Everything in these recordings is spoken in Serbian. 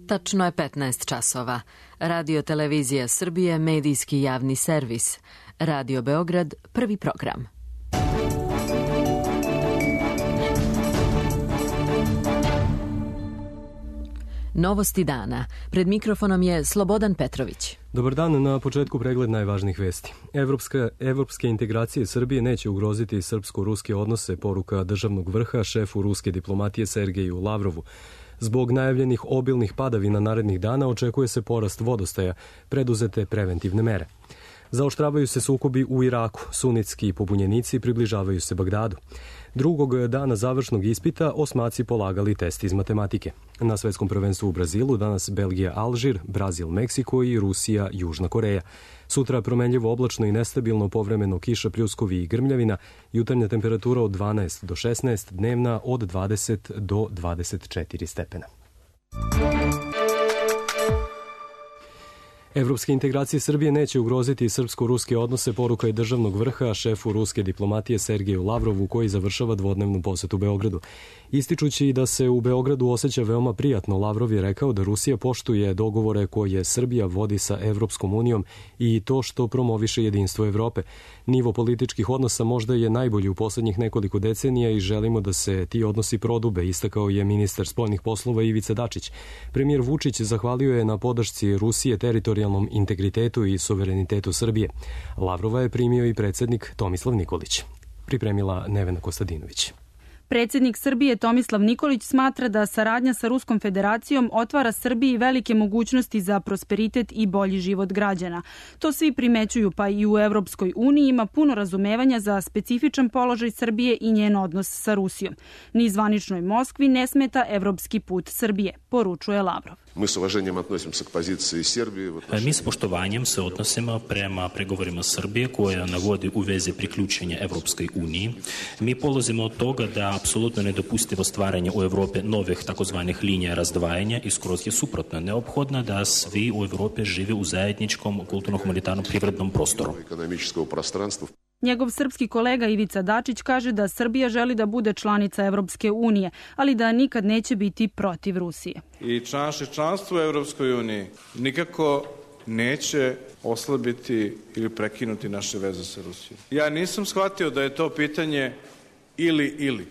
Tačno je 15 časova. Radio Televizija Srbije, medijski javni servis. Radio Beograd, prvi program. Novosti dana. Pred mikrofonom je Slobodan Petrović. Dobar dan, na početku pregled najvažnijih vesti. Evropske integracije Srbije neće ugroziti srpsko-ruske odnose, poruka državnog vrha šefu ruske diplomatije Sergeju Lavrovu. Zbog najavljenih obilnih padavina narednih dana očekuje se porast vodostaja, preduzete preventivne mere. Zaoštravaju se sukobi u Iraku, sunitski pobunjenici približavaju se Bagdadu. Drugog dana završnog ispita osmaci polagali test iz matematike. Na svetskom prvenstvu u Brazilu danas Belgija Alžir, Brazil Meksiko i Rusija Južna Koreja. Sutra promenljivo oblačno i nestabilno, povremeno kiša, pljuskovi i grmljavina, jutarnja temperatura od 12 do 16, dnevna od 20 do 24 stepena. Evropske integracije Srbije neće ugroziti srpsko-ruske odnose, poruka je državnog vrha šefu ruske diplomatije Sergeju Lavrovu, koji završava dvodnevnu posetu Beogradu. Ističući da se u Beogradu osjeća veoma prijatno, Lavrov je rekao da Rusija poštuje dogovore koje Srbija vodi sa Evropskom unijom i to što promoviše jedinstvo Evrope. Nivo političkih odnosa možda je najbolji u poslednjih nekoliko decenija i želimo da se ti odnosi prodube, istakao je ministar spoljnih poslova Ivica Dačić. Premijer Vučić zahvalio je na podršci Rusije teritorijalnom integritetu i suverenitetu Srbije. Lavrova je primio i predsednik Tomislav Nikolić. Pripremila Nevena Kostadinović. Predsednik Srbije Tomislav Nikolić smatra da saradnja sa Ruskom federacijom otvara Srbiji velike mogućnosti za prosperitet i bolji život građana. To svi primećuju, pa i u Evropskoj uniji ima puno razumevanja za specifičan položaj Srbije i njen odnos sa Rusijom. Ni zvaničnoj Moskvi ne smeta evropski put Srbije, poručuje Lavrov. Mi s poštovanjem se odnosimo prema pregovorima Srbije koja navodi u vezi priključenja Evropskoj uniji. Mi polazimo od toga da apsolutno nedopustivo stvaranje u Evropi novih takozvanih linija razdvajanja i skroz je suprotno. Neophodno da svi u Evropi žive u zajedničkom kulturno-humanitarnom privrednom prostoru. Njegov srpski kolega Ivica Dačić kaže da Srbija želi da bude članica Evropske unije, ali da nikad neće biti protiv Rusije. I naše članstvo u Evropskoj uniji nikako neće oslabiti ili prekinuti naše veze sa Rusijom. Ja nisam shvatio da je to pitanje ili.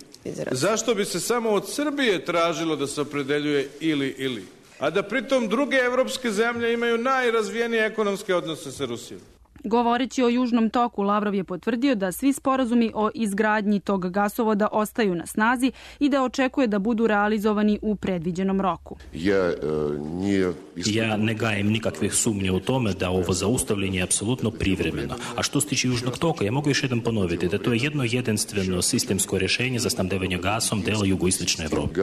Zašto bi se samo od Srbije tražilo da se opredeljuje ili? A da pritom druge evropske zemlje imaju najrazvijenije ekonomske odnose sa Rusijom. Govoreći o Južnom toku, Lavrov je potvrdio da svi sporazumi o izgradnji tog gasovoda ostaju na snazi i da očekuje da budu realizovani u predviđenom roku. Ja ne gajem nikakvih sumnje u tome da ovo zaustavljanje je apsolutno privremeno. A što se tiče Južnog toka, ja mogu još jednom ponoviti da to je jedno jedinstveno sistemsko rješenje za snabdevanje gasom dela jugoistočne Evrope.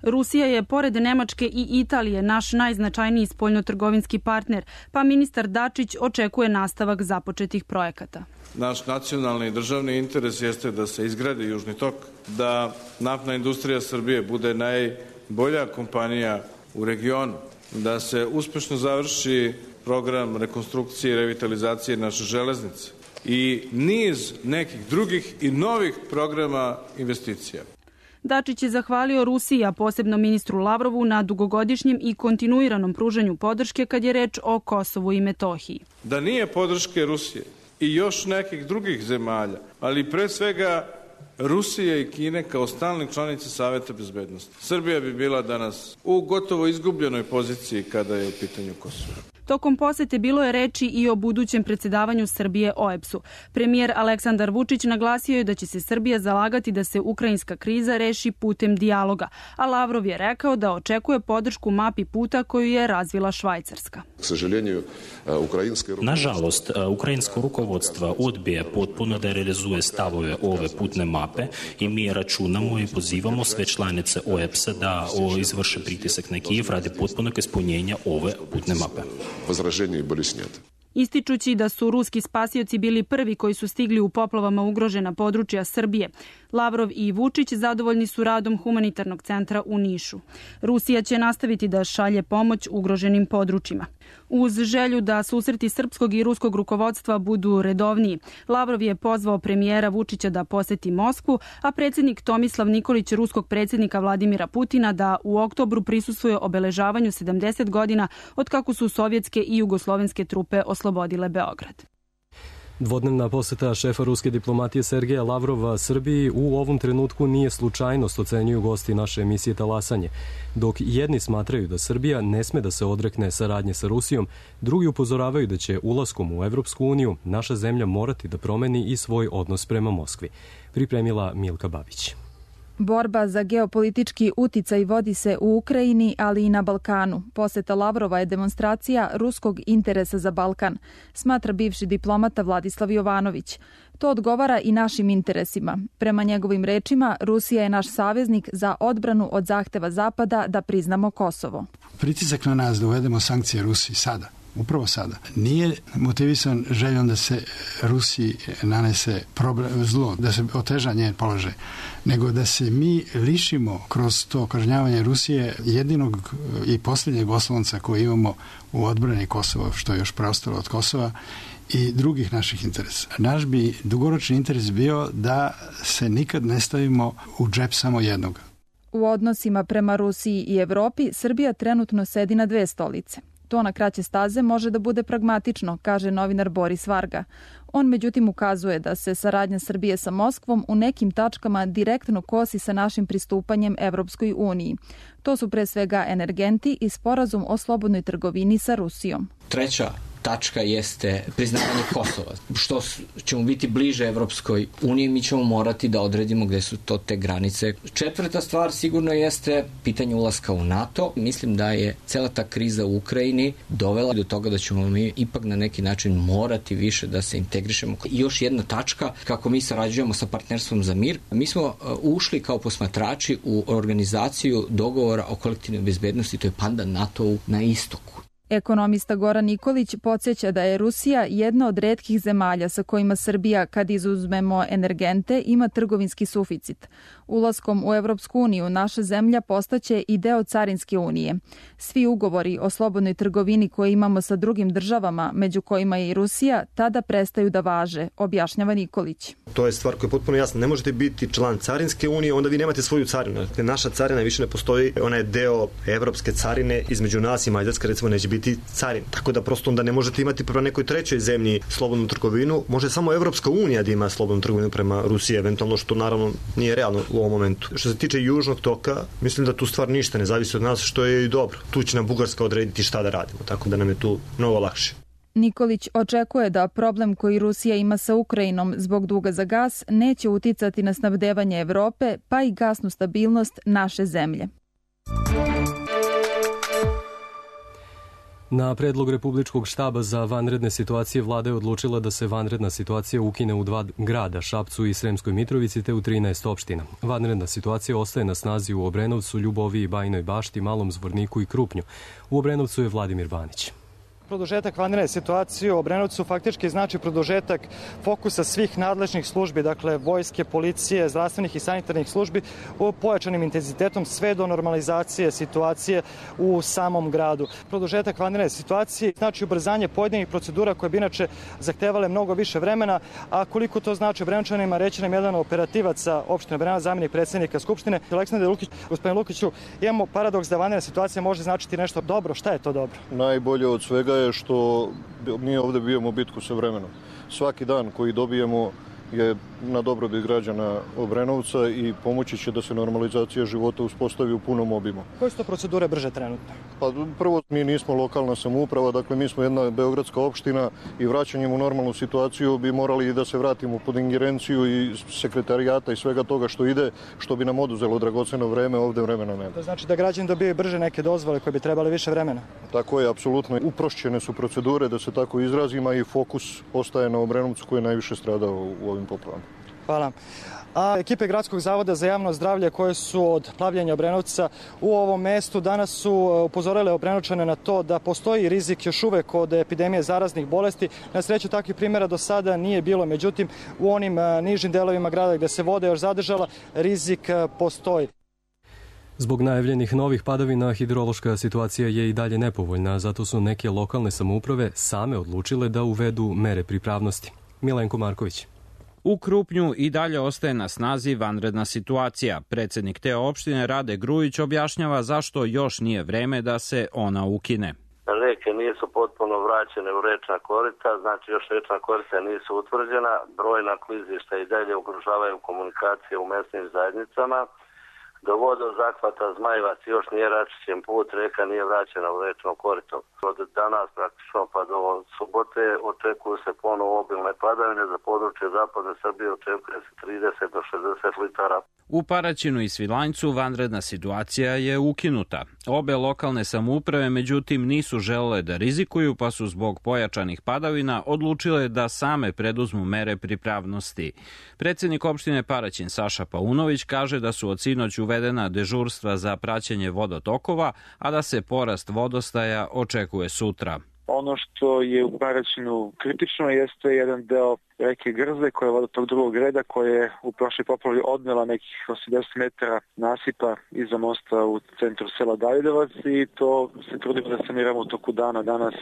Rusija je, pored Nemačke i Italije, naš najznačajniji spoljnotrgovinski partner, pa ministar Dačić očekuje nastavak započetih projekata. Naš nacionalni i državni interes jeste da se izgradi Južni tok, da naftna industrija Srbije bude najbolja kompanija u regionu, da se uspešno završi program rekonstrukcije i revitalizacije naše železnice i niz nekih drugih i novih programa investicija. Dačić je zahvalio Rusiji, a posebno ministru Lavrovu, na dugogodišnjem i kontinuiranom pružanju podrške kad je reč o Kosovu i Metohiji. Da nije podrške Rusije i još nekih drugih zemalja, ali pre svega Rusije i Kine kao stalne članice Saveta bezbednosti, Srbija bi bila danas u gotovo izgubljenoj poziciji kada je u pitanju Kosovo. Tokom posete bilo je reči i o budućem predsjedavanju Srbije OEBS-u. Premijer Aleksandar Vučić naglasio je da će se Srbija zalagati da se ukrajinska kriza reši putem dijaloga, a Lavrov je rekao da očekuje podršku mapi puta koju je razvila Švajcarska. Nažalost, ukrajinsko rukovodstvo odbija potpuno da realizuje stavove ove putne mape i mi računamo i pozivamo sve članice OEBS-a da izvrše pritisak na Kijev radi potpunog ispunjenja ove putne mape. ističući da su ruski spasioci bili prvi koji su stigli u poplavama ugrožena područja Srbije. Lavrov i Vučić zadovoljni su radom humanitarnog centra u Nišu. Rusija će nastaviti da šalje pomoć ugroženim područjima. Uz želju da susreti srpskog i ruskog rukovodstva budu redovniji, Lavrov je pozvao premijera Vučića da poseti Moskvu, a predsjednik Tomislav Nikolić ruskog predsjednika Vladimira Putina da u oktobru prisustvuje obeležavanju 70 godina od kako su sovjetske i jugoslovenske trupe oslobodile Beograd. Dvodnevna poseta šefa ruske diplomatije Sergeja Lavrova Srbiji u ovom trenutku nije slučajnost, ocenjuju gosti naše emisije Talasanje. Dok jedni smatraju da Srbija ne sme da se odrekne saradnje sa Rusijom, drugi upozoravaju da će ulaskom u Evropsku uniju naša zemlja morati da promeni i svoj odnos prema Moskvi. Pripremila Milka Babić. Borba za geopolitički uticaj vodi se u Ukrajini, ali i na Balkanu. Poseta Lavrova je demonstracija ruskog interesa za Balkan, smatra bivši diplomata Vladislav Jovanović. To odgovara i našim interesima. Prema njegovim rečima, Rusija je naš saveznik za odbranu od zahteva Zapada da priznamo Kosovo. Pritisak na nas da uvedemo sankcije Rusiji sada, upravo sada, nije motivisan željom da se Rusiji nanese zlo, da se oteža njen položaj, nego da se mi lišimo kroz to kažnjavanje Rusije jedinog i posljednjeg oslonca koji imamo u odbrani Kosova, što je još preostalo od Kosova, i drugih naših interesa. Naš bi dugoročni interes bio da se nikad ne stavimo u džep samo jednog. U odnosima prema Rusiji i Evropi Srbija trenutno sedi na dve stolice. To na kraće staze može da bude pragmatično, kaže novinar Boris Varga. On međutim ukazuje da se saradnja Srbije sa Moskvom u nekim tačkama direktno kosi sa našim pristupanjem Evropskoj uniji. To su pre svega energenti i sporazum o slobodnoj trgovini sa Rusijom. Treća tačka jeste priznavanje Kosova. Što ćemo biti bliže Evropskoj uniji, mi ćemo morati da odredimo gde su to te granice. Četvrta stvar sigurno jeste pitanje ulaska u NATO. Mislim da je cela ta kriza u Ukrajini dovela do toga da ćemo mi ipak na neki način morati više da se integrišemo. I još jedna tačka, kako mi sarađujemo sa Partnerstvom za mir. Mi smo ušli kao posmatrači u organizaciju dogovora o kolektivnoj bezbednosti, to je pandan NATO-u na istoku. Ekonomista Goran Nikolić podsjeća da je Rusija jedna od retkih zemalja sa kojima Srbija, kad izuzmemo energente, ima trgovinski suficit. Ulaskom u Evropsku uniju naša zemlja postaće i deo Carinske unije. Svi ugovori o slobodnoj trgovini koje imamo sa drugim državama, među kojima je i Rusija, tada prestaju da važe, objašnjava Nikolić. To je stvar koja je potpuno jasna. Ne možete biti član Carinske unije, onda vi nemate svoju carinu. Naša carina više ne postoji, ona je deo evropske carine, između nas i Mađarska recimo neće biti carin. Tako da prosto onda ne možete imati prema nekoj trećoj zemlji slobodnu trgovinu. Može samo Evropska unija da ima slobodnu trgovinu prema Rusiji, eventualno, što naravno nije realno u ovom momentu. Što se tiče južnog toka, mislim da tu stvar ništa ne zavisi od nas, što je i dobro. Tu će nam Bugarska odrediti šta da radimo, tako da nam je tu mnogo lakše. Nikolić očekuje da problem koji Rusija ima sa Ukrajinom zbog duga za gas neće uticati na snabdevanje Evrope, pa i gasnu stabilnost naše zemlje. Na predlog Republičkog štaba za vanredne situacije vlada je odlučila da se vanredna situacija ukine u 2 grada, Šapcu i Sremskoj Mitrovici, te u 13 opština. Vanredna situacija ostaje na snazi u Obrenovcu, Ljuboviji, Bajinoj Bašti, Malom Zvorniku i Krupnju. U Obrenovcu je Vladimir Banić. Produžetak vanredne situacije u Obrenovcu faktički znači produžetak fokusa svih nadležnih službi, dakle vojske, policije, zdravstvenih i sanitarnih službi u pojačanim intenzitetom sve do normalizacije situacije u samom gradu. Produžetak vanredne situacije znači ubrzanje pojedinih procedura koje bi inače zahtevale mnogo više vremena, a koliko to znači Obrenovčanima reći nam jedan operativaca opštine Obrenovac, zamjenik predsjednika Skupštine, Aleksandar Lukić. Gospodine Lukiću, imamo paradoks da vanredna situacija može značiti nešto dobro. Šta je to dobro? Najbolje od svega je što mi ovdje bijemo bitku sa vremenom. Svaki dan koji dobijemo je na dobrobit građana Obrenovca i pomoći će da se normalizacija života uspostavi u punom obimu. Koje su to procedure brže trenutno? Pa prvo, mi nismo lokalna samouprava, dakle mi smo jedna beogradska opština i vraćanjem u normalnu situaciju bi morali da se vratimo pod ingerenciju i sekretarijata i svega toga što ide, što bi nam oduzelo dragoceno vreme, ovdje vremena nema. To znači da građani dobiju brže neke dozvole koje bi trebali više vremena? Tako je, apsolutno. Uprošćene su procedure, da se tako izrazima, i fokus ostaje na Obrenovcu koji je najviše stradao u ovim poplavama. Hvala. a ekipe Gradskog zavoda za javno zdravlje koje su od plavljenja Obrenovca u ovom mestu danas su upozorile Obrenočane na to da postoji rizik još uvek od epidemije zaraznih bolesti. Na sreću takvih primjera do sada nije bilo, međutim u onim nižim delovima grada gde se voda još zadržala, rizik postoji. Zbog najavljenih novih padavina hidrološka situacija je i dalje nepovoljna, zato su neke lokalne samouprave same odlučile da uvedu mere pripravnosti. Milenko Marković. U Krupnju i dalje ostaje na snazi vanredna situacija. Predsednik te opštine Rade Grujić objašnjava zašto još nije vreme da se ona ukine. Reke nisu potpuno vraćene u rečna korita, znači još rečna korita nisu utvrđena, brojna klizišta i dalje ugrožavaju komunikacije u mesnim zajednicama. Do vodozahvata Zmajevac još nije račišćen put, reka nije vraćena u rečno korito. Od danas praktično pa do subote očekuju se ponovo obilne padavine, za područje zapadne Srbije očekuje se 30 do 60 litara. U Paraćinu i Svilajncu vanredna situacija je ukinuta. Obe lokalne samouprave međutim nisu želele da rizikuju, pa su zbog pojačanih padavina odlučile da same preduzmu mere pripravnosti. Predsednik opštine Paraćin Saša Paunović kaže da su od sinoć uvedena dežurstva za praćenje vodotokova, a da se porast vodostaja očekuje sutra. Ono što je u Paraćinu kritično jeste jedan deo reke Grze koja je vodotok drugog reda koja je u prošloj poplavi odnela nekih 80 metara nasipa iza mosta u centru sela Davidovac i to se trudimo da saniramo u toku dana danas.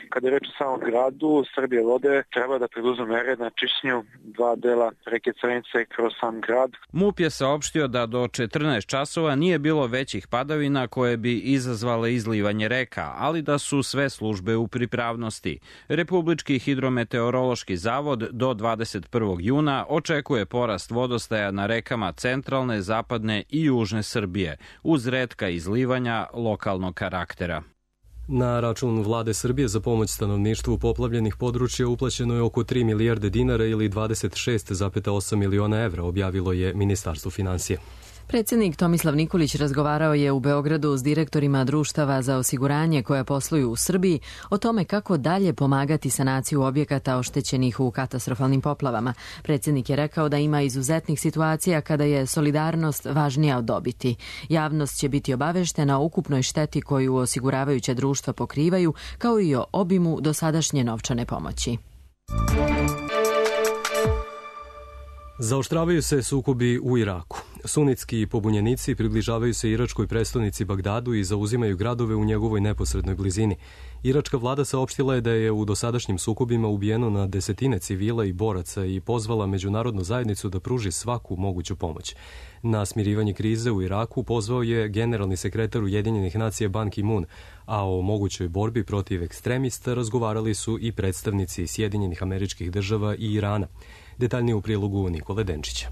Kada je reč o samom gradu, Srbije vode treba da preduzme mere na čišćenju dva dela reke Crnice kroz sam grad. MUP je saopštio da do 14 časova nije bilo većih padavina koje bi izazvale izlivanje reka, ali da su sve službe u pripravnosti. Republički hidrometeorološki zavod do 21. juna očekuje porast vodostaja na rekama centralne, zapadne i južne Srbije, uz retka izlivanja lokalnog karaktera. Na račun vlade Srbije za pomoć stanovništvu poplavljenih područja uplaćeno je oko 3 milijarde dinara ili 26,8 miliona evra, objavilo je Ministarstvo finansija. Predsjednik Tomislav Nikolić razgovarao je u Beogradu s direktorima društava za osiguranje koja posluju u Srbiji o tome kako dalje pomagati sanaciju objekata oštećenih u katastrofalnim poplavama. Predsjednik je rekao da ima izuzetnih situacija kada je solidarnost važnija od dobiti. Javnost će biti obaveštena o ukupnoj šteti koju osiguravajuća društva pokrivaju, kao i o obimu dosadašnje novčane pomoći. Zaoštravaju se sukobi u Iraku. Sunitski pobunjenici približavaju se iračkoj prestonici Bagdadu i zauzimaju gradove u njegovoj neposrednoj blizini. Iračka vlada saopštila je da je u dosadašnjim sukobima ubijeno na desetine civila i boraca i pozvala međunarodnu zajednicu da pruži svaku moguću pomoć. Na smirivanje krize u Iraku pozvao je generalni sekretar Ujedinjenih nacija Ban Ki-moon, a o mogućoj borbi protiv ekstremista razgovarali su i predstavnici Sjedinjenih Američkih Država i Irana. Detaljnije u prilogu Nikole Denčića.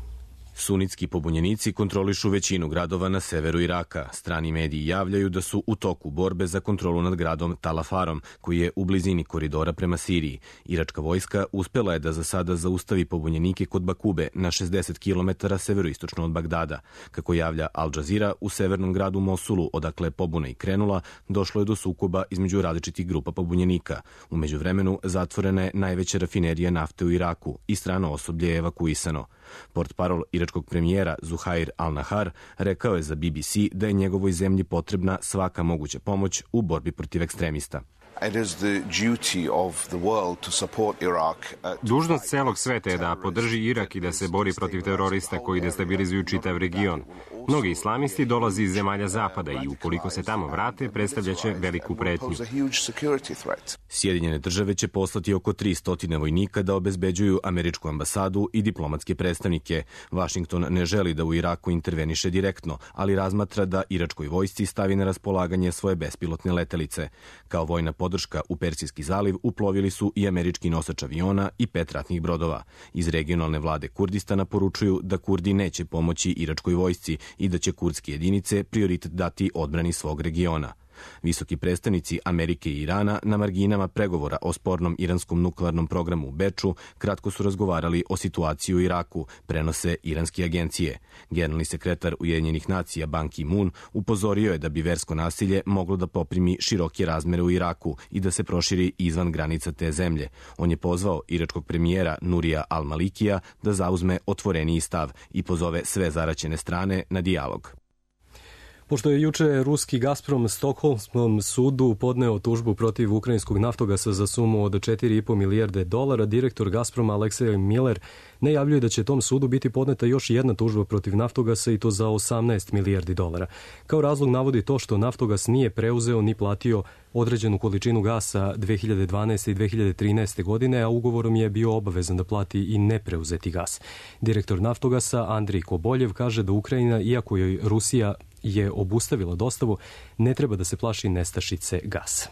Sunitski pobunjenici kontrolišu većinu gradova na severu Iraka. Strani mediji javljaju da su u toku borbe za kontrolu nad gradom Talafarom, koji je u blizini koridora prema Siriji. Iračka vojska uspela je da za sada zaustavi pobunjenike kod Bakube na 60 km severoistočno od Bagdada. Kako javlja Al Jazeera, u severnom gradu Mosulu, odakle je pobuna i krenula, došlo je do sukoba između različitih grupa pobunjenika. U međuvremenu zatvorena je najveća rafinerija nafte u Iraku i strano osoblje je evakuisano. Portparol iračkog premijera Zuhair al-Nahar rekao je za BBC da je njegovoj zemlji potrebna svaka moguća pomoć u borbi protiv ekstremista. Dužnost celog sveta je da podrži Irak i da se bori protiv terorista koji destabilizuju čitav region. Mnogi islamisti dolaze iz zemalja zapada i ukoliko se tamo vrate, predstavljaće veliku pretnju. Sjedinjene države će poslati oko 300 vojnika da obezbeđuju američku ambasadu i diplomatske predstavnike. Washington ne želi da u Iraku interveniše direktno, ali razmatra da iračkoj vojsci stavi na raspolaganje svoje bespilotne letelice. Kao vojna podrška u Persijski zaliv uplovili su i američki nosač aviona i 5 ratnih brodova. Iz regionalne vlade Kurdistana poručuju da Kurdi neće pomoći iračkoj vojsci i da će kurdske jedinice prioritet dati odbrani svog regiona. Visoki predstavnici Amerike i Irana na marginama pregovora o spornom iranskom nuklearnom programu u Beču kratko su razgovarali o situaciji u Iraku, prenose iranske agencije. Generalni sekretar Ujedinjenih nacija Ban Ki-moon upozorio je da bi versko nasilje moglo da poprimi široke razmere u Iraku i da se proširi izvan granica te zemlje. On je pozvao iračkog premijera Nurija al-Malikija da zauzme otvoreniji stav i pozove sve zaraćene strane na dijalog. Pošto je juče ruski Gazprom Stokholmskom sudu podneo tužbu protiv ukrajinskog naftogasa za sumu od 4,5 milijarde dolara, direktor Gazproma Aleksej Miller najavljuje da će tom sudu biti podneta još jedna tužba protiv naftogasa i to za 18 milijardi dolara. Kao razlog navodi to što naftogas nije preuzeo ni platio određenu količinu gasa 2012. i 2013. godine, a ugovorom je bio obavezan da plati i nepreuzeti gas. Direktor naftogasa Andrij Koboljev kaže da Ukrajina, iako joj Rusija je obustavila dostavu, ne treba da se plaši nestašice gasa.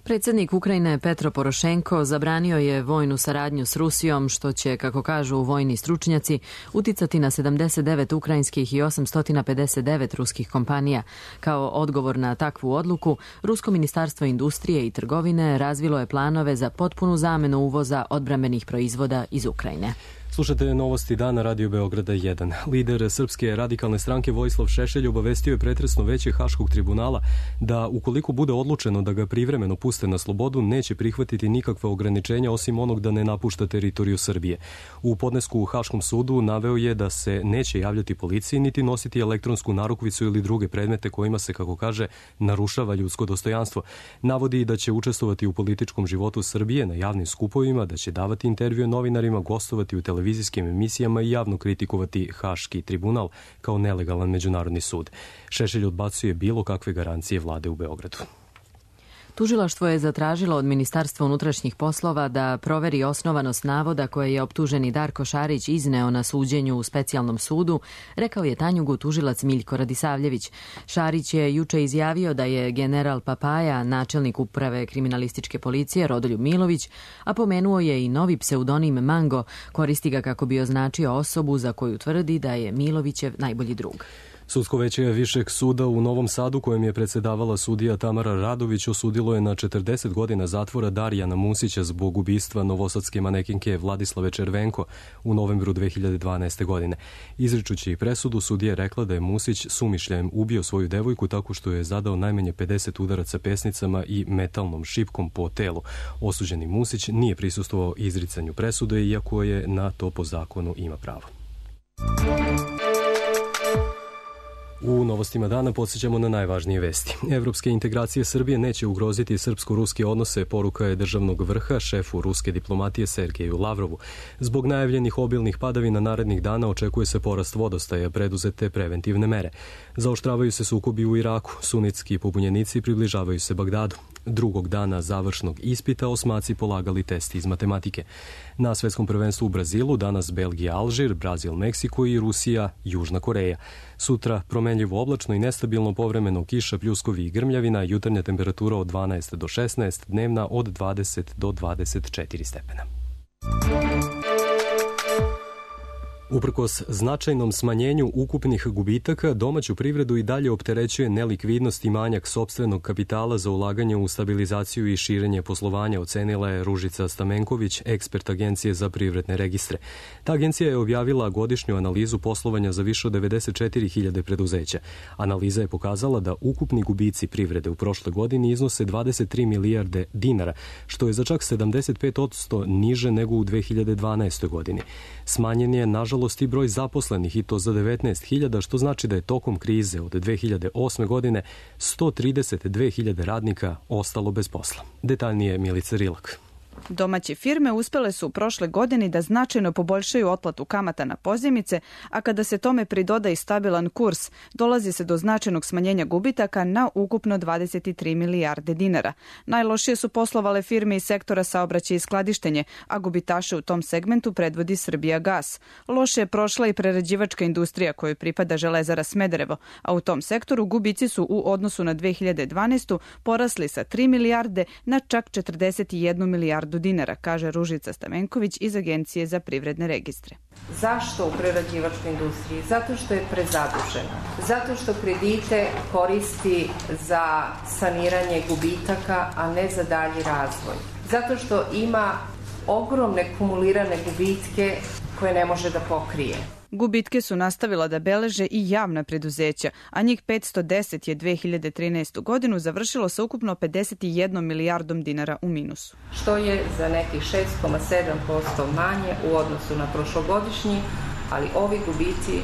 Predsjednik Ukrajine Petro Porošenko zabranio je vojnu saradnju s Rusijom, što će, kako kažu vojni stručnjaci, uticati na 79 ukrajinskih i 859 ruskih kompanija. Kao odgovor na takvu odluku, Rusko ministarstvo industrije i trgovine razvilo je planove za potpunu zamenu uvoza odbrambenih proizvoda iz Ukrajine. Slušate novosti dana Radio Beograda 1. Lider Srpske radikalne stranke Vojislav Šešelj obavestio je pretresno veće Haškog tribunala da ukoliko bude odlučeno da ga privremeno puste na slobodu, neće prihvatiti nikakva ograničenja osim onog da ne napušta teritoriju Srbije. U podnesku u Haškom sudu naveo je da se neće javljati policiji niti nositi elektronsku narukvicu ili druge predmete kojima se, kako kaže, narušava ljudsko dostojanstvo. Navodi da će učestvovati u političkom životu Srbije na javnim skupovima, da će davati intervjue novinarima, gostovati u televizijskim emisijama i javno kritikovati Haški tribunal kao nelegalan međunarodni sud. Šešelj odbacuje bilo kakve garancije vlade u Beogradu. Tužilaštvo je zatražilo od Ministarstva unutrašnjih poslova da proveri osnovanost navoda koje je optuženi Darko Šarić izneo na suđenju u specijalnom sudu, rekao je Tanjugu tužilac Miljko Radisavljević. Šarić je juče izjavio da je general Papaja, načelnik uprave kriminalističke policije Rodoljub Milović, a pomenuo je i novi pseudonim Mango, koristi ga kako bi označio osobu za koju tvrdi da je Milovićev najbolji drug. Sudsko veće Višeg suda u Novom Sadu, kojem je predsedavala sudija Tamara Radović, osudilo je na 40 godina zatvora Darijana Musića zbog ubistva novosadske manekinke Vladislave Červenko u novembru 2012. godine. Izričući presudu, sudija je rekla da je Musić sumišljajem ubio svoju devojku tako što je zadao najmanje 50 udaraca pesnicama i metalnom šipkom po telu. Osuđeni Musić nije prisustvovao izricanju presude, iako je na to po zakonu ima pravo. U novostima dana podsjećamo na najvažnije vesti. Evropske integracije Srbije neće ugroziti srpsko-ruske odnose, poruka je državnog vrha šefu ruske diplomatije Sergeju Lavrovu. Zbog najavljenih obilnih padavina narednih dana očekuje se porast vodostaja, preduzete preventivne mere. Zaoštravaju se sukobi u Iraku, sunitski pobunjenici približavaju se Bagdadu. Drugog dana završnog ispita osmaci polagali testi iz matematike. Na svetskom prvenstvu u Brazilu danas Belgija, Alžir, Brazil, Meksiko i Rusija, Južna Koreja. Sutra promenljivo oblačno i nestabilno, povremeno kiša, pljuskovi i grmljavina, jutarnja temperatura od 12 do 16, dnevna od 20 do 24 stepena. Uprkos značajnom smanjenju ukupnih gubitaka, domaću privredu i dalje opterećuje nelikvidnost i manjak sopstvenog kapitala za ulaganje u stabilizaciju i širenje poslovanja, ocenila je Ružica Stamenković, ekspert Agencije za privredne registre. Ta agencija je objavila godišnju analizu poslovanja za više od 94.000 preduzeća. Analiza je pokazala da ukupni gubici privrede u prošle godini iznose 23 milijarde dinara, što je za čak 75% niže nego u 2012. godini. Smanjen je, nažalost, i broj zaposlenih, i to za 19.000, što znači da je tokom krize od 2008. godine 132.000 radnika ostalo bez posla. Detaljnije Milica Rilak. Domaće firme uspele su u prošle godini da značajno poboljšaju otplatu kamata na pozajmice, a kada se tome pridoda i stabilan kurs, dolazi se do značajnog smanjenja gubitaka na ukupno 23 milijarde dinara. Najlošije su poslovale firme iz sektora saobraćaja i skladištenje, a gubitaše u tom segmentu predvodi Srbijagas. Loše je prošla i prerađivačka industrija kojoj pripada Železara Smederevo, a u tom sektoru gubici su u odnosu na 2012. porasli sa 3 milijarde na čak 41 milijardu milijardu dinara, kaže Ružica Stamenković iz Agencije za privredne registre. Zašto u prerađivačkoj industriji? Zato što je prezadužena. Zato što kredite koristi za saniranje gubitaka, a ne za dalji razvoj. Zato što ima ogromne kumulirane gubitke koje ne može da pokrije. Gubitke su nastavila da beleže i javna preduzeća, a njih 510 je 2013. godinu završilo sa ukupno 51 milijardom dinara u minusu. Što je za nekih 6,7% manje u odnosu na prošlogodišnji, ali ovi gubici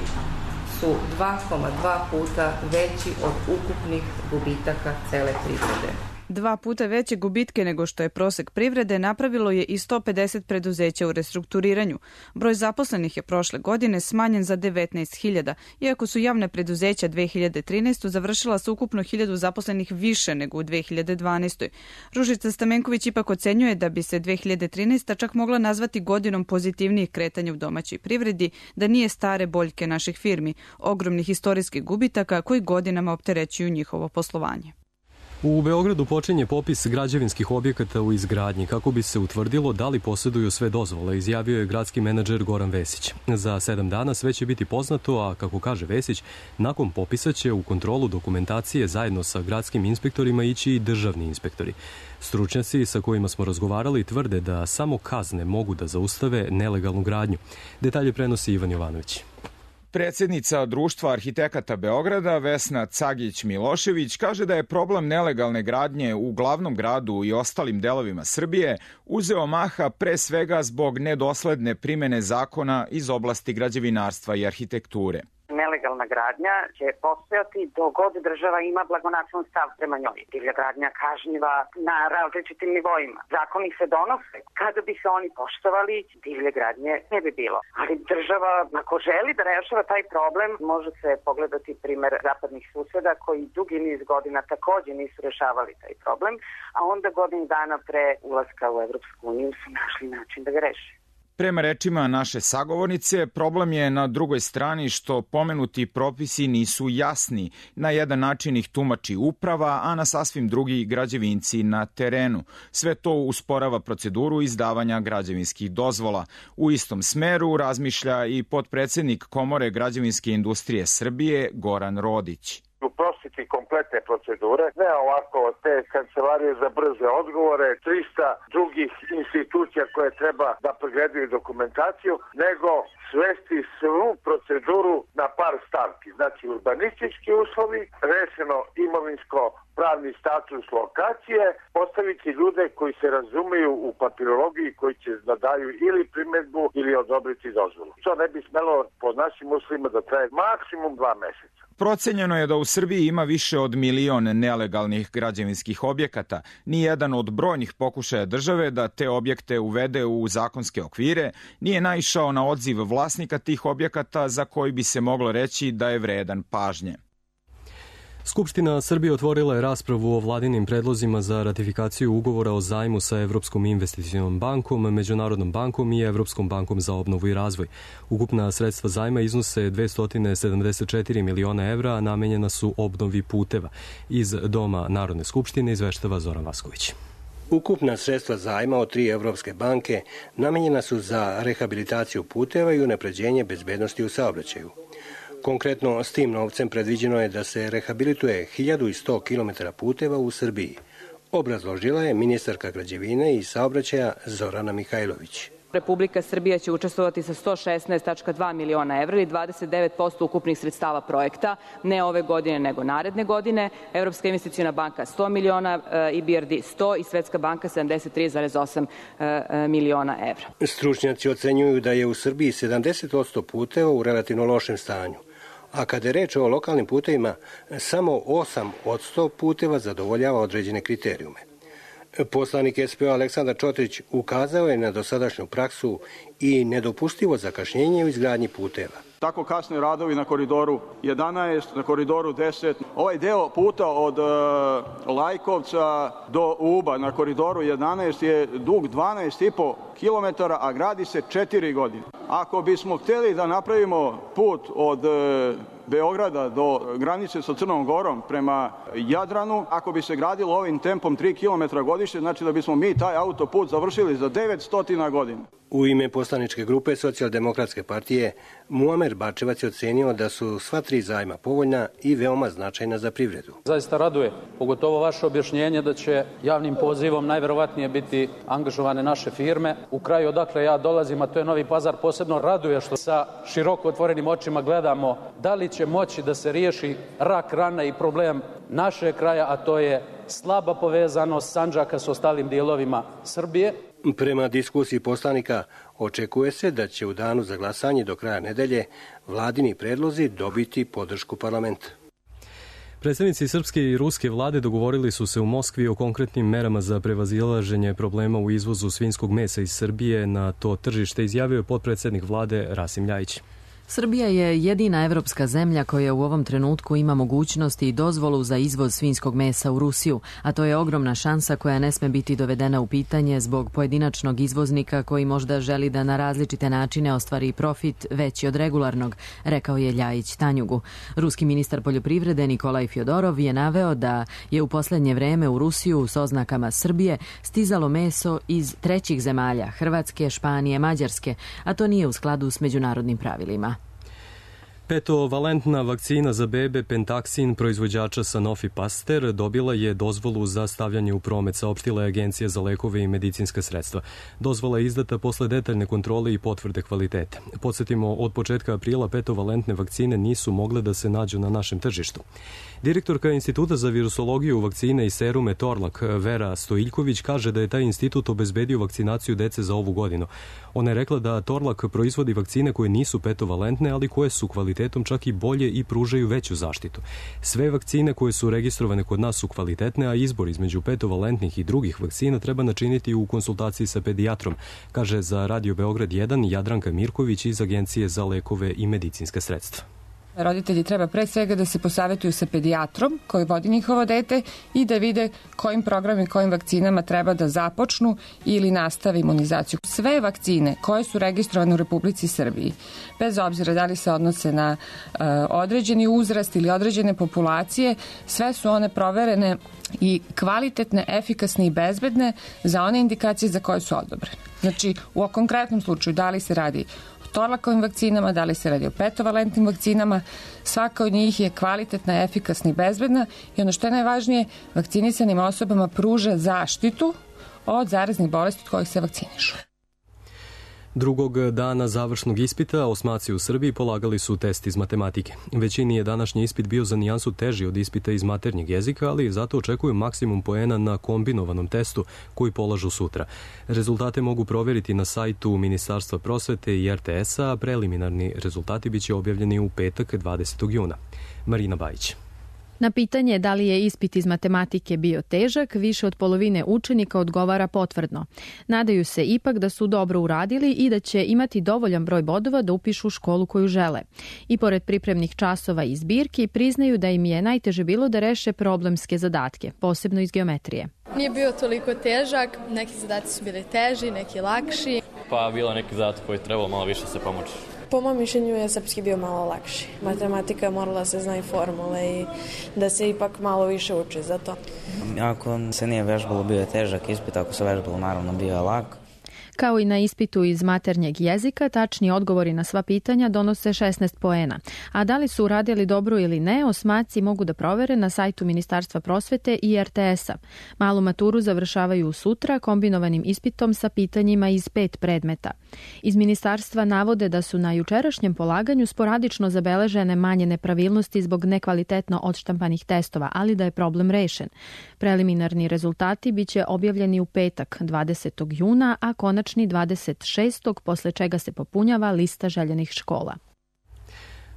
su 2,2 puta veći od ukupnih gubitaka cele privrede. 2 puta veće gubitke nego što je prosek privrede napravilo je i 150 preduzeća u restrukturiranju. Broj zaposlenih je prošle godine smanjen za 19.000, iako su javne preduzeća 2013. završila sa ukupno 1.000 zaposlenih više nego u 2012. Ružica Stamenković ipak ocenjuje da bi se 2013. čak mogla nazvati godinom pozitivnijih kretanja u domaćoj privredi, da nije stare boljke naših firmi, ogromnih istorijskih gubitaka koji godinama opterećuju njihovo poslovanje. U Beogradu počinje popis građevinskih objekata u izgradnji kako bi se utvrdilo da li posjeduju sve dozvole, izjavio je gradski menadžer Goran Vesić. Za 7 dana sve će biti poznato, a kako kaže Vesić, nakon popisa će u kontrolu dokumentacije zajedno sa gradskim inspektorima ići i državni inspektori. Stručnjaci sa kojima smo razgovarali tvrde da samo kazne mogu da zaustave nelegalnu gradnju. Detalje prenosi Ivan Jovanović. Predsjednica Društva arhitekata Beograda Vesna Cagić-Milošević kaže da je problem nelegalne gradnje u glavnom gradu i ostalim delovima Srbije uzeo maha pre svega zbog nedosledne primene zakona iz oblasti građevinarstva i arhitekture. Nelegalna gradnja će postojati dok god država ima blagonaklon stav prema njoj. Divlja gradnja kažnjiva na različitim nivoima. Zakoni se donose. Kada bi se oni poštovali, divlje gradnje ne bi bilo. Ali država, ako želi da rešava taj problem, može se pogledati primer zapadnih suseda koji dugi niz godina takođe nisu rešavali taj problem, a onda godinu dana pre ulaska u Evropsku uniju su našli način da ga reše. Prema rečima naše sagovornice, problem je na drugoj strani što pomenuti propisi nisu jasni. Na jedan način ih tumači uprava, a na sasvim drugi građevinci na terenu. Sve to usporava proceduru izdavanja građevinskih dozvola. U istom smeru razmišlja i potpredsednik Komore građevinske industrije Srbije Goran Rodić. Uprostiti kompletne procedure, ne ovako te kancelarije za brze odgovore, 300 drugih institucija koje treba da pregledaju dokumentaciju, nego svesti svu proceduru na par stavki. Znači urbanistički uslovi, rešeno imovinsko-pravni status lokacije, postaviti ljude koji se razumeju u papirologiji, koji će da daju ili primedbu ili odobriti dozvolu. To ne bi smelo po našim uslovima da traje maksimum 2 meseca. Procenjeno je da u Srbiji ima više od 1 milion nelegalnih građevinskih objekata. Nijedan od brojnih pokušaja države da te objekte uvede u zakonske okvire nije naišao na odziv vlasnika tih objekata za koji bi se moglo reći da je vredan pažnje. Skupština Srbije otvorila je raspravu o vladinim predlozima za ratifikaciju ugovora o zajmu sa Evropskom investicionom bankom, Međunarodnom bankom i Evropskom bankom za obnovu i razvoj. Ukupna sredstva zajma iznose 274 miliona evra, a namenjena su obnovi puteva. Iz Doma Narodne skupštine izveštava Zoran Vasković. Ukupna sredstva zajma od 3 evropske banke namenjena su za rehabilitaciju puteva i unapređenje bezbednosti u saobraćaju. Konkretno, s tim novcem predviđeno je da se rehabilituje 1100 km puteva u Srbiji. Obrazložila je ministarka građevine i saobraćaja Zorana Mihajlović. Republika Srbija će učestvovati sa 116,2 miliona evra ili 29% ukupnih sredstava projekta, ne ove godine nego naredne godine. Evropska investiciona banka 100 miliona, IBRD 100 i Svetska banka 73,8 miliona evra. Stručnjaci ocenjuju da je u Srbiji 70% puteva u relativno lošem stanju. A kada je reč o lokalnim putevima, samo 8% puteva zadovoljava određene kriterijume. Poslanik SPO Aleksandar Čotrić ukazao je na dosadašnju praksu i nedopustivo zakašnjenje u izgradnji puteva. Tako kasne radovi na koridoru 11, na koridoru 10. Ovaj deo puta od Lajkovca do Uba na koridoru 11 je dug 12,5 km, a gradi se 4 godine. Ako bismo hteli da napravimo put od Beograda do granice sa Crnom Gorom prema Jadranu, ako bi se gradilo ovim tempom 3 km godišnje, znači da bismo mi taj autoput završili za 900 godina. U ime poslaničke grupe Socijaldemokratske partije, Muamer Bačevac je ocenio da su sva 3 zajma povoljna i veoma značajna za privredu. Zaista raduje, pogotovo vaše objašnjenje da će javnim pozivom najverovatnije biti angažovane naše firme. U kraju odakle ja dolazim, a to je Novi Pazar, posebno raduje što sa široko otvorenim očima gledamo da li će moći da se riješi rak rana i problem našeg kraja, a to je slaba povezanost Sandžaka s ostalim dijelovima Srbije. Prema diskusiji poslanika, očekuje se da će u danu za glasanje do kraja nedelje vladini predlozi dobiti podršku parlamenta. Predstavnici srpske i ruske vlade dogovorili su se u Moskvi o konkretnim merama za prevazilaženje problema u izvozu svinjskog mesa iz Srbije na to tržište, izjavio je potpredsednik vlade Rasim Ljajić. Srbija je jedina evropska zemlja koja u ovom trenutku ima mogućnost i dozvolu za izvoz svinjskog mesa u Rusiju, a to je ogromna šansa koja ne sme biti dovedena u pitanje zbog pojedinačnog izvoznika koji možda želi da na različite načine ostvari profit veći od regularnog, rekao je Ljajić Tanjugu. Ruski ministar poljoprivrede Nikolaj Fjodorov je naveo da je u poslednje vreme u Rusiju s oznakama Srbije stizalo meso iz trećih zemalja, Hrvatske, Španije, Mađarske, a to nije u skladu s međunarodnim pravilima. Petovalentna vakcina za bebe Pentaxin proizvođača Sanofi Pasteur dobila je dozvolu za stavljanje u promet, saopštila je Agencija za lekove i medicinska sredstva. Dozvola je izdata posle detaljne kontrole i potvrde kvalitete. Podsjetimo, od početka aprila petovalentne vakcine nisu mogle da se nađu na našem tržištu. Direktorka Instituta za virusologiju, vakcine i serume Torlak, Vera Stojiljković, kaže da je taj institut obezbedio vakcinaciju dece za ovu godinu. Ona je rekla da Torlak proizvodi vakcine koje nisu petovalentne, ali koje su kvalitetom čak i bolje i pružaju veću zaštitu. Sve vakcine koje su registrovane kod nas su kvalitetne, a izbor između petovalentnih i drugih vakcina treba načiniti u konsultaciji sa pedijatrom, kaže za Radio Beograd 1 Jadranka Mirković iz Agencije za lekove i medicinska sredstva. Roditelji treba pre svega da se posavetuju sa pedijatrom koji vodi njihovo dete i da vide kojim programima i kojim vakcinama treba da započnu ili nastave imunizaciju. Sve vakcine koje su registrovane u Republici Srbiji, bez obzira da li se odnose na određeni uzrast ili određene populacije, sve su one proverene i kvalitetne, efikasne i bezbedne za one indikacije za koje su odobrene. Znači, u konkretnom slučaju, da li se radi Torlakovim vakcinama, da li se radi o petovalentnim vakcinama, svaka od njih je kvalitetna, efikasna i bezbedna i ono što je najvažnije, vakcinisanim osobama pruža zaštitu od zaraznih bolesti od kojih se vakcinišu. Drugog dana završnog ispita osmaci u Srbiji polagali su test iz matematike. Većini je današnji ispit bio za nijansu teži od ispita iz maternjeg jezika, ali zato očekuju maksimum poena na kombinovanom testu koji polažu sutra. Rezultate mogu proveriti na sajtu Ministarstva prosvete i RTS-a, a preliminarni rezultati biće objavljeni u petak 20. juna. Marina Bajić. Na pitanje da li je ispit iz matematike bio težak, više od polovine učenika odgovara potvrdno. Nadaju se ipak da su dobro uradili i da će imati dovoljan broj bodova da upišu školu koju žele. I pored pripremnih časova i zbirki, priznaju da im je najteže bilo da reše problemske zadatke, posebno iz geometrije. Nije bio toliko težak, neki zadaci su bili teži, neki lakši. Pa bilo neki zadatak koji trebalo malo više se pomoći. Po mom mišljenju je srpski bio malo lakši. Matematika morala se zna i formule i da se ipak malo više uči za to. Ako se nije vežbalo, bio je težak ispit, ako se vežbalo, naravno bio je lak. Kao i na ispitu iz maternjeg jezika, tačni odgovori na sva pitanja donose 16 poena. A da li su uradili dobro ili ne, osmaci mogu da provere na sajtu Ministarstva prosvete i RTS-a. Malu maturu završavaju sutra kombinovanim ispitom sa pitanjima iz 5 predmeta. Iz ministarstva navode da su na jučerašnjem polaganju sporadično zabeležene manje nepravilnosti zbog nekvalitetno odštampanih testova, ali da je problem rešen. Preliminarni rezultati biće objavljeni u petak 20. juna, a konačni 26. posle čega se popunjava lista željenih škola.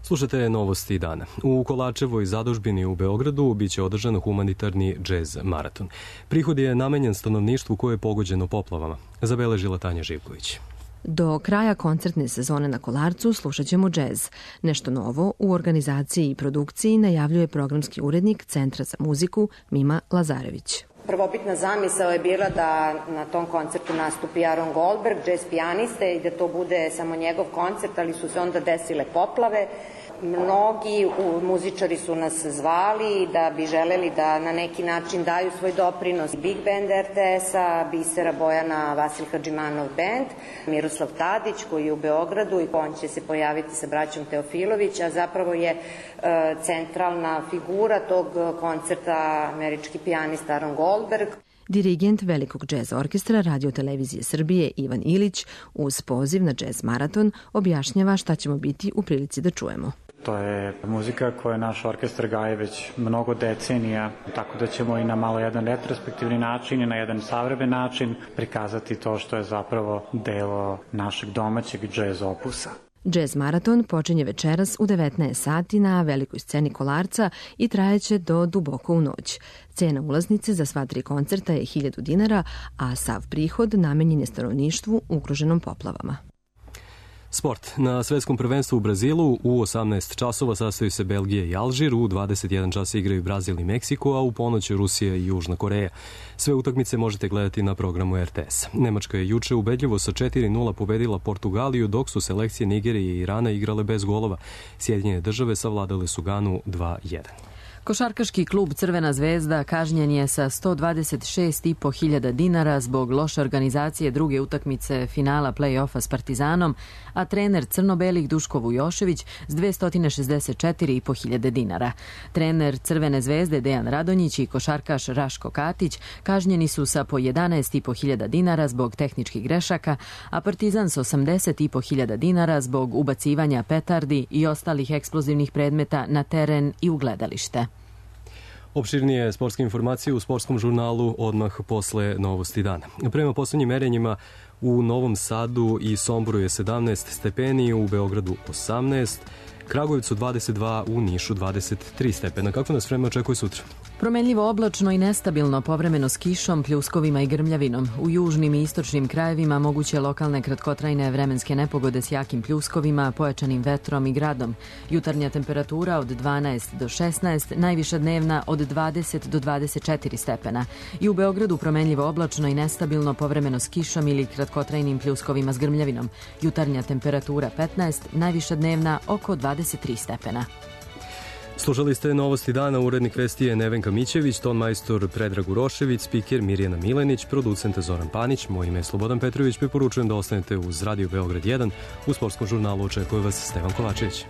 Slušate novosti dana. U Kolačevoj zadužbini u Beogradu biće održan humanitarni džez maraton. Prihod je namenjen stanovništvu koje je pogođeno poplavama, zabeležila Tanja Živković. Do kraja koncertne sezone na Kolarcu slušat ćemo džez. Nešto novo u organizaciji i produkciji najavljuje programski urednik Centra za muziku Mima Lazarević. Prvobitna zamisao je bila da na tom koncertu nastupi Aaron Goldberg, džez pijaniste i da to bude samo njegov koncert, ali su se onda desile poplave. Mnogi muzičari su nas zvali da bi želeli da na neki način daju svoj doprinos. Big Band RTS-a, Bisera Bojana, Vasil Hadžimanov band, Miroslav Tadić koji je u Beogradu i on će se pojaviti sa braćom Teofilović, a zapravo je centralna figura tog koncerta američki pijanista Aaron Goldberg. Dirigent Velikog džez orkestra Radio-televizije Srbije Ivan Ilić uz poziv na džez maraton objašnjava šta ćemo biti u prilici da čujemo. To je muzika koju naš orkestar gaje već mnogo decenija, tako da ćemo i na malo jedan retrospektivni način i na jedan savremen način prikazati to što je zapravo delo našeg domaćeg džez opusa. Džez maraton počinje večeras u 19 sati na velikoj sceni Kolarca i trajeće do duboko u noć. Cena ulaznice za sva 3 koncerta je 1000 dinara, a sav prihod namenjen je stanovništvu ugroženom poplavama. Sport. Na svetskom prvenstvu u Brazilu u 18 časova sastaju se Belgija i Alžir, u 21 čas igraju Brazil i Meksiko, a u ponoć Rusija i Južna Koreja. Sve utakmice možete gledati na programu RTS. Nemačka je juče ubedljivo sa 4:0 pobedila Portugaliju, dok su selekcije Nigerije i Irana igrale bez golova. Sjedinjene države savladale su Ganu 2:1. Košarkaški klub Crvena zvezda kažnjen je sa 126.500 dinara zbog loše organizacije druge utakmice finala play-offa s Partizanom, a trener crno-belih Duško Vujošević s 264.500 dinara. Trener Crvene zvezde Dejan Radonjić i košarkaš Raško Katić kažnjeni su sa po 11.500 dinara zbog tehničkih grešaka, a Partizan s 80.500 dinara zbog ubacivanja petardi i ostalih eksplozivnih predmeta na teren i u gledalište. Opširnije sportske informacije u sportskom žurnalu odmah posle novosti dana. Prema poslednjim merenjima u Novom Sadu i Somboru je 17 stepeni, u Beogradu 18, Kragujevcu 22, u Nišu 23 stepena. Kako nas vreme očekuje sutra? Promenljivo oblačno i nestabilno, povremeno s kišom, pljuskovima i grmljavinom. U južnim i istočnim krajevima moguće lokalne kratkotrajne vremenske nepogode s jakim pljuskovima, pojačanim vetrom i gradom. Jutarnja temperatura od 12 do 16, najviša dnevna od 20 do 24 stepena. I u Beogradu promenljivo oblačno i nestabilno, povremeno s kišom ili kratkotrajnim pljuskovima s grmljavinom. Jutarnja temperatura 15, najviša dnevna oko 23 stepena. Slušali ste novosti dana, urednik vesti je Nevenka Mićević, ton majstor Predrag Urošević, spiker Mirjana Milenić, producent Zoran Panić, moj ime je Slobodan Petrović, preporučujem da ostanete uz Radio Beograd 1. U sportskom žurnalu očekuje vas Stevan Kovačević.